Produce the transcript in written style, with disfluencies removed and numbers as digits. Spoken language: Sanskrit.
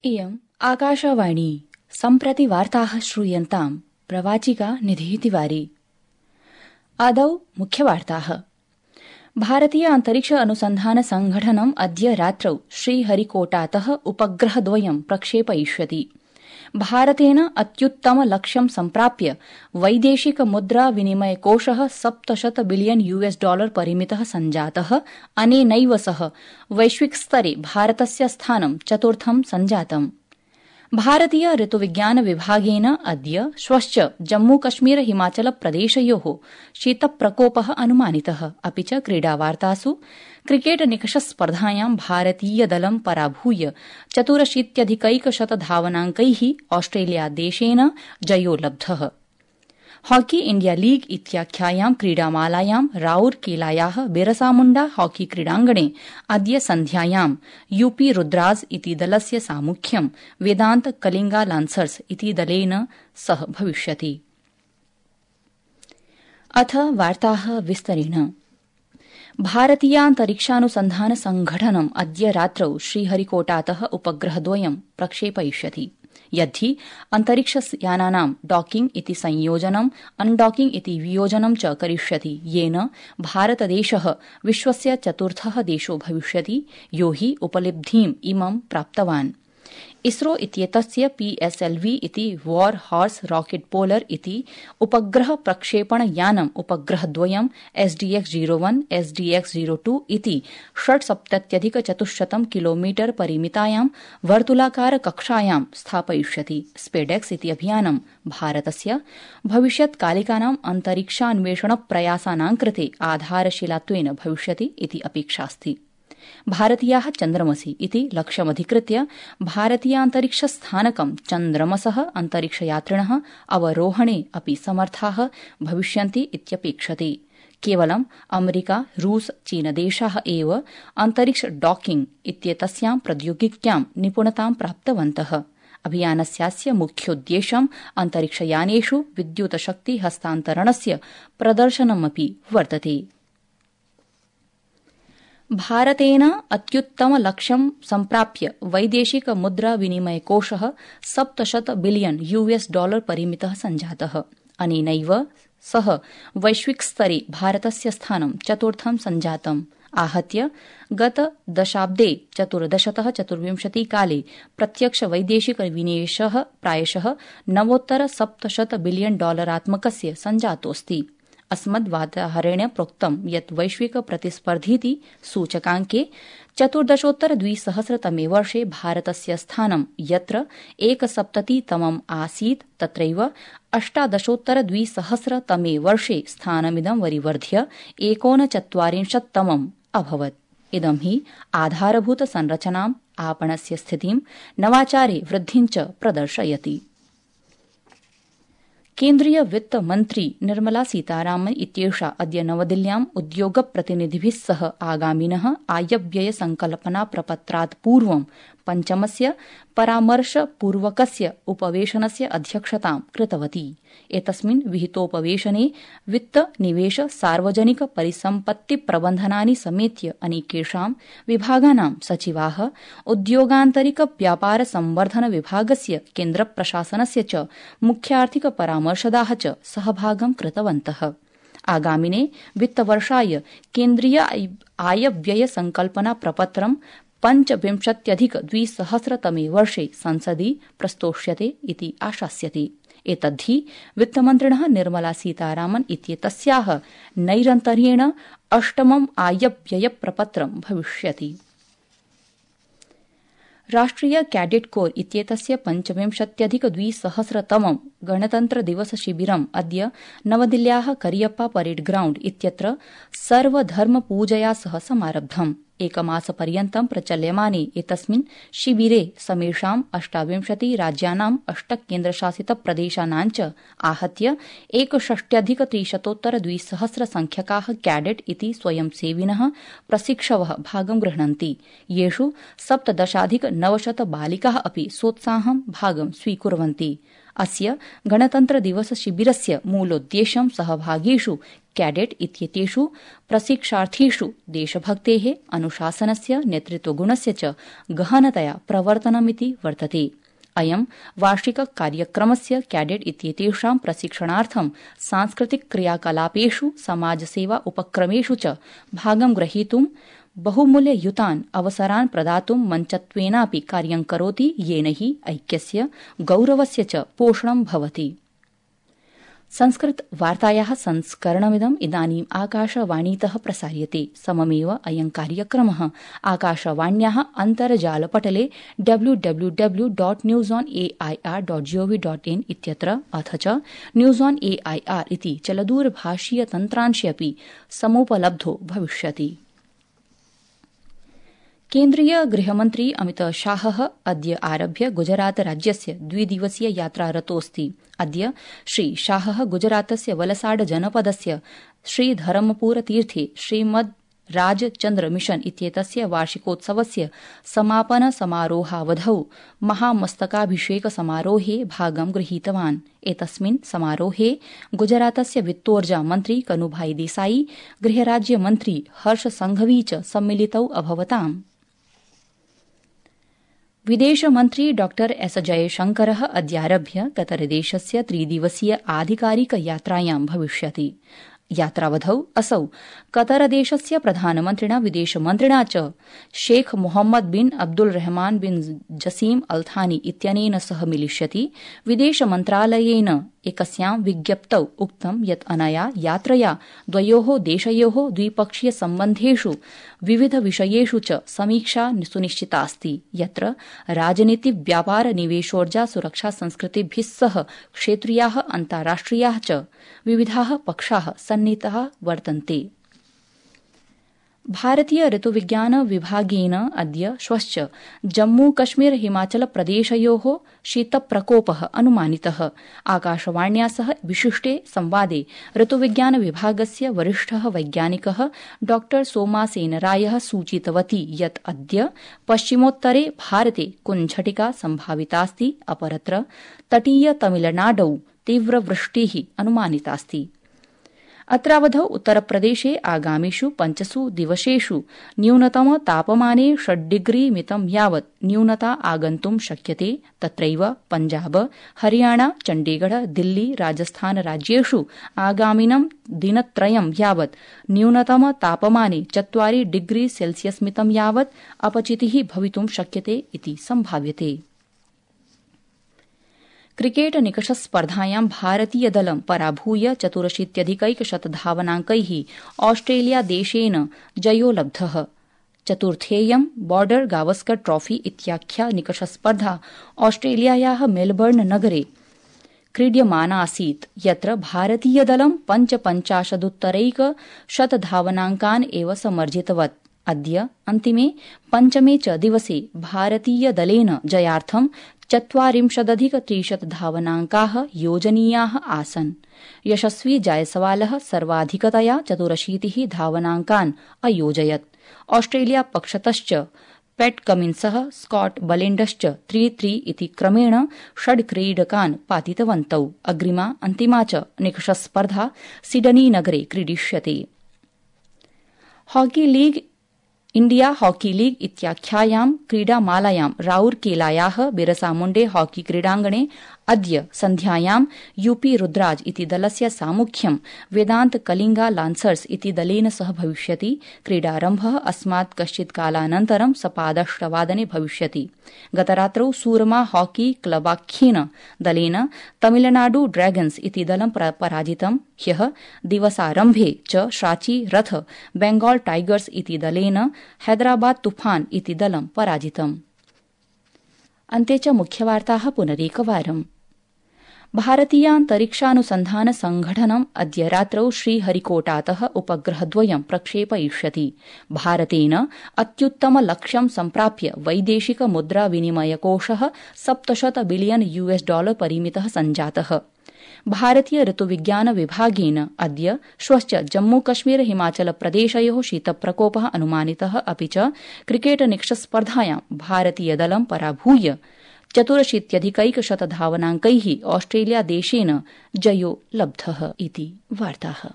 इयम् आकाशवाणी सम्प्रति वार्ताः श्रूयन्ताम् प्रवाचिका निधिः तिवारी। आदौ मुख्यवार्ताः। भारतीय अन्तरिक्ष अनुसन्धान संघटनम् अद्य रात्रौ श्रीहरिकोटातः उपग्रहद्वयं प्रक्षेपयिष्यति। भारतेन अत्युत्तम लक्ष्यं सम्प्राप्य वैदेशिक मुद्रा विनिमयकोषः $700 बिलियन परिमितः सञ्जातः। अनेनैव सह वैश्विकस्तरे भारतस्य स्थानं चतुर्थं सञ्जातम्। भारतीय ऋतुविज्ञान विभागेन अद्य श्वश्च जम्मूकश्मीर हिमाचल प्रदेशयोः शीतप्रकोपः अनुमानितः। अपि च क्रीडावार्तासु क्रिकेट निकषस्पर्धायां भारतीयदलं पराभूय 84 धावनाङ्कैः ऑस्ट्रेलियादेशेन जयो लब्धः। हॉकी इण्डिया लीग इत्याख्यायां क्रीडामालायां राउरकेलायाः बिरसामुण्डा हॉकी क्रीडाङ्गणे अद्य सन्ध्यायां यूपी रुद्राज इति दलस्य सामुख्यं वेदान्त कलिंगा लान्सर्स इति दलेन सह भविष्यति। अथ वार्ताः विस्तरेण। भारतीयान्तरिक्षानुसन्धान संघटनम् अद्य रात्रौ श्रीहरिकोटातः उपग्रहद्वयं प्रक्षेपयिष्यति। यद्धि अन्तरिक्षयानानां डॉकिंग इति संयोजनम् अनडॉकिंग इति वियोजनं च करिष्यति, येन भारतदेशः विश्वस्य चतुर्थः देशो भविष्यति यो हि उपलब्धिम् इमं प्राप्तवान्। इसरो इत्येतस्य PSLV इति वॉर हॉर्स रॉकेट पोलर इति उपग्रह प्रक्षेपणयानम् उपग्रहद्वयं SDX-01 SDX-02 इति 670,400 किलोमीटर परिमितायां वर्तुलाकार कक्षायां स्थापयिष्यति। स्पेडेक्स इति अभियानं भारतस्य भविष्यत्कालिकानां अन्तरिक्षान्वेषण प्रयासानां कृते आधारशिलात्वेन भविष्यति इति अपेक्षास्ति। भारतीयाः चन्द्रमसि इति लक्ष्यमधिकृत्य भारतीयान्तरिक्षस्थानकं चन्द्रमसः अन्तरिक्षयात्रिणः अवरोहणे अपि समर्थाः भविष्यन्ति इत्यपेक्षते। केवलं अमेरिका, रूस, चीनदेशाः एव अन्तरिक्ष डॉकिंग इत्येतस्यां प्रौद्योगिक्यां निपुणतां प्राप्तवन्तः। अभियानस्यास्य मुख्योद्देश्यम् अन्तरिक्षयानेषु विद्युतशक्ति हस्तान्तरणस्य प्रदर्शनमपि वर्तते। भारतेन अत्युत्तम लक्ष्यं सम्प्राप्य वैदेशिक मुद्रा विनिमयकोषः $700 बिलियन परिमितः सञ्जातः। अनेनैव सह वैश्विकस्तरे भारतस्य स्थानं चतुर्थं सञ्जातम्। आहत्य गत दशाब्दे 14-24 काले प्रत्यक्ष वैदेशिक विनिवेशः प्रायशः $9.7 बिलियन सञ्जातोऽस्ति। अस्मद्वार्ताहरेण प्रोक्तं यत् वैश्विक प्रतिस्पर्धीति सूचकाङ्के 14-2000 वर्षे भारतस्य स्थानं यत्र 71तमम् आसीत् तत्रैव 18-2000 वर्षे स्थानमिदं वरिवर्ध्य 39तमम् अभवत्। इदं हि आधारभूत संरचनाम्, आपणस्य स्थितिं, नवाचारे वृद्धिं च प्रदर्शयति। केन्द्रीय वित्त मन्त्री निर्मला सीतारामन इत्येषा अद्य नवदिल्ल्याम् उद्योगप्रतिनिधिभिः सह आगामिनः आयव्यय संकल्पना प्रपत्रात् पूर्वं पञ्चमस्य परामर्शपूर्वकस्य उपवेशनस्य अध्यक्षतां कृतवती। एतस्मिन् विहितोपवेशने वित्त, निवेश, सार्वजनिक परिसम्पत्ति प्रबन्धनानि समेत्य अनेकेषां विभागानां सचिवाः, उद्योगान्तरिक व्यापार संवर्धन विभागस्य, केन्द्रप्रशासनस्य च मुख्यार्थिक परामर्शदाः च सहभागं कृतवन्तः। आगामिने वित्तवर्षाय केन्द्रीय आयव्यय संकल्पना प्रपत्रं 25-2000 वर्षे संसदि प्रस्तोष्यते इति आशास्यते। एतद्धि वित्तमन्त्रिणः निर्मला सीतारामन इत्येतस्याः नैरन्तर्येण अष्टमम् आयव्यय प्रपत्रं भविष्यति। राष्ट्रिय कैडेट कोर इत्येतस्य 25-2000 गणतन्त्र दिवस शिबिरम् अद्य नवदिल्ल्याः करियप्पा परेड ग्राउण्ड इत्यत्र सर्वधर्म पूजया सह समारब्धम्। एकमासपर्यन्तं प्रचल्यमाने एतस्मिन् शिबिरे समेषां 28 राज्यानां 8 केन्द्रशासित प्रदेशानां च आहत्य 61,300 संख्यकाः कैडेट इति स्वयंसेविनः प्रशिक्षवः भागं गृह्णन्ति, येषु 17,900 बालिकाः अपि सोत्साहं भागं स्वीकुर्वन्ति। अस्य गणतन्त्र दिवस शिबिरस्य मूलोद्देश्यं सहभागीषु कैडेट इत्येतेषु प्रशिक्षार्थीषु देशभक्तेः, अनुशासनस्य, नेतृत्वगुणस्य च गहनतया प्रवर्तनमिति वर्तते। अयं वार्षिक कार्यक्रमस्य कैडेट इत्येतेषां प्रशिक्षणार्थं सांस्कृतिक क्रियाकलापेषु, समाजसेवा उपक्रमेषु च भागं ग्रहीतुं बहुमूल्ययुतान् अवसरान् प्रदातुं मञ्चत्वेनापि कार्यं करोति, येन हि ऐक्यस्य, गौरवस्य च पोषणं भवति। संस्कृत वार्तायाः संस्करणमिदम् इदानीम् आकाशवाणीतः प्रसार्यते। सममेव अयं कार्यक्रमः आकाशवाण्याः अन्तर्जालपटले www.newsonair.gov.in इत्यत्र अथ च न्यूज़ ऑन AIR इति चलदूरभाषीय तन्त्रांशे अपि समुपलब्धो भविष्यति। केन्द्रीय गृहमन्त्री अमित शाहः अद्य आरभ्य गुजरात राज्यस्य द्विदिवसीय यात्रारतोऽस्ति। अद्य श्री शाहः गुजरातस्य वलसाड जनपदस्य श्रीधरमपुरतीर्थे श्रीमद् राजचन्द्र मिशन इत्येतस्य वार्षिकोत्सवस्य समापन समारोहावधौ महामस्तकाभिषेक समारोहे भागं गृहीतवान्। एतस्मिन् समारोहे गुजरातस्य वित्तोर्जा मन्त्री कनुभाई देसाई, गृहराज्यमन्त्री हर्ष संघवी च सम्मिलितौ अभवताम्। विदेशमन्त्री डॉ एस जयशंकरः अद्यारभ्य कतरदेशस्य त्रिदिवसीय आधिकारिक यात्रायां भविष्यति। यात्रावधौ असौ कतरदेशस्य प्रधानमन्त्रिणा, विदेशमन्त्रिणा च शेख मोहम्मद बिन अब्दुल रहमान बिन जसीम अल थानी इत्यनेन सह मिलिष्यति। विदेशमन्त्रालयेन एकस्यां विज्ञप्तौ उक्तं यत् अनया यात्रया द्वयोः देशयोः द्विपक्षीय सम्बन्धेषु विविध विषयेषु च समीक्षा सुनिश्चितास्ति, यत्र राजनीति, व्यापार, निवेशोर्जा, सुरक्षा, संस्कृतिभिः सह क्षेत्रीयाः, अन्ताराष्ट्रियाः च विविधाः पक्षाः सन्नीताः वर्तन्ते। भारतीय ऋतुविज्ञान विभागेन अद्य श्वश्च जम्मू कश्मीर हिमाचल प्रदेशयोः शीतप्रकोपः अनुमानितः। आकाशवाण्या सह विशिष्टे संवादे ऋतुविज्ञान विभागस्य वरिष्ठः वैज्ञानिकः डॉ सोमासेनरायः सूचितवती यत् अद्य पश्चिमोत्तरे भारते कुञ्झटिका सम्भावितास्ति, अपरत्र तटीय तमिलनाडौ तीव्रवृष्टिः अनुमानितास्ति। अत्रावधौ उत्तरप्रदेशे आगामिषु 5 दिवसेषु न्यूनतम तापमाने 6 डिग्री मितं यावत् न्यूनता आगन्तुं शक्यते। तत्रैव पञ्जाब, हरियाणा, चण्डीगढ़, दिल्ली, राजस्थान राज्येषु आगामिनं दिनत्रयं यावत् न्यूनतम तापमाने 4 डिग्री सेल्सियस् मितं यावत् अपचितिः भवितुं शक्यते इति सम्भाव्यते। क्रिकेट निकषस्पर्धायां भारतीयदलं पराभूय 84,100 धावनाङ्कैः ऑस्ट्रेलियादेशेन जयो लब्धः। चतुर्थेयं बॉर्डर गावस्कर ट्रॉफी इत्याख्या निकषस्पर्धा ऑस्ट्रेलियायाः मेलबर्न नगरे क्रीड्यमाना आसीत्, यत्र भारतीयदलं 55,100 धावनाङ्कान् एव समर्जितवत्। अद्य अन्तिमे पञ्चमे च दिवसे भारतीयदलेन जयार्थं 40,30 धावनाङ्काः योजनीयाः आसन्। यशस्वी जायसवालः सर्वाधिकतया 84 धावनाङ्कान् अयोजयत्। ऑस्ट्रेलिया पक्षतश्च पैट कमिन्सः, स्कॉट बलेण्डश्च 3-3 इति क्रमेण 6 क्रीडकान् पातितवन्तौ। अग्रिमा अन्तिमा च निकषस्पर्धा सिडनी नगरे क्रीडिष्यते। Hockey league India hockey league इत्याख्यायां क्रीडामालायां राउरकेलायाः बिरसामुण्डे हॉकी क्रीडाङ्गणे अद्य सन्ध्यायां यूपी रुद्राज इति दलस्य सामुख्यं वेदान्त कलिंगा लान्सर्स इति दलेन सह भविष्यति। क्रीडारम्भः अस्मात् कश्चित् कालानन्तरं सपाद-8 भविष्यति। गतरात्रौ सूरमा हॉकी क्लबाख्येन दलेन तमिलनाडु ड्रैगन्स इति दलं पराजितम्। ह्यः दिवसारम्भे च शाची रथ बेंगाल टाइगर्स इति दलेन हैदराबाद तूफान इति दलं पराजितम्। अन्ते च मुख्यवार्ताः पुनरेकवारम्। भारतीयान्तरिक्षानुसन्धान संघटनम् अद्य रात्रौ श्रीहरिकोटातः उपग्रहद्वयं प्रक्षेपयिष्यति। भारतेन अत्युत्तम लक्ष्यं सम्प्राप्य वैदेशिक मुद्रा विनिमयकोषः $700 बिलियन परिमितः सञ्जातः। भारतीय ऋतुविज्ञान विभागेन अद्य श्वश्च जम्मू कश्मीर हिमाचल प्रदेशयोः शीतप्रकोपः अनुमानितः। अपि च क्रिकेट निकषस्पर्धायां भारतीयदलं पराभूय 84,100 धावनाङ्कै ऑस्ट्रेलिया देशेन जयो लब्धः इति वार्ताः।